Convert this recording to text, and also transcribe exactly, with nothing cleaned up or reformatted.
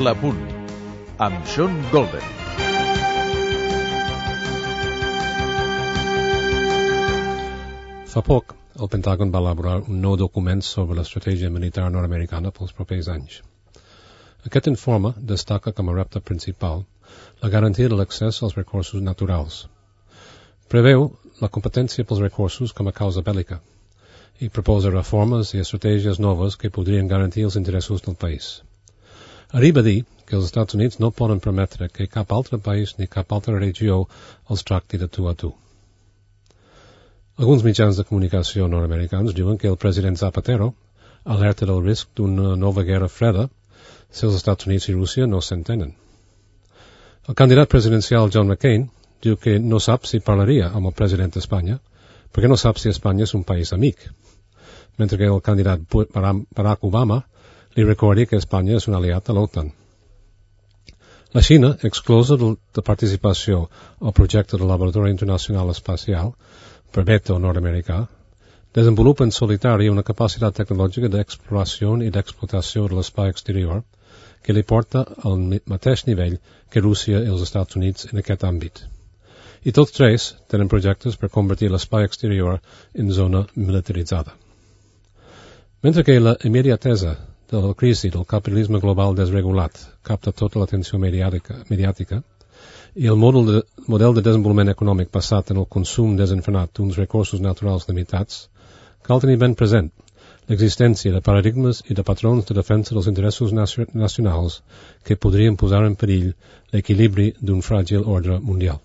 L'Apunt, amb Sean Golden. Fa poc, el Pentàgon va elaborar un nou document sobre l'estratègia militar nord-americana pels propers anys. Aquest informe destaca com a repte principal la garantia de l'accés als recursos naturals. Preveu la competència pels recursos com a causa bèl·lica i proposa reformes i estratègies noves que podrien garantir els interessos del país. Arriba a dir que els Estats Units no poden permetre que cap altre país ni cap altra regió els tracti de tu a tu. Alguns mitjans de comunicació nord-americans diuen que el president Zapatero alerta del risc d'una nova guerra freda si els Estats Units i Rússia no s'entenen. El candidat presidencial John McCain diu que no sap si parlaria amb el president d'Espanya perquè no sap si Espanya és un país amic, mentre que el candidat Barack Obama li recorda que Espanya és un aliat de l'OTAN. La Xina, exclosa de participació al projecte del Laboratori Internacional Espacial, per veto nord-americà, desenvolupa en solitari una capacitat tecnològica d'exploració i d'explotació de l'espai exterior que li porta al mateix nivell que Rússia i els Estats Units en aquest àmbit. I tots tres tenen projectes per convertir l'espai exterior en zona militaritzada. Mentre que la immediatesa de la crisi del capitalisme global desregulat capta tota l'atenció mediàtica, mediàtica i el model de, model de desenvolupament econòmic basat en el consum desenfrenat d'uns recursos naturals limitats, cal tenir ben present l'existència de paradigmes i de patrons de defensa dels interessos nacionals que podrien posar en perill l'equilibri d'un fràgil ordre mundial.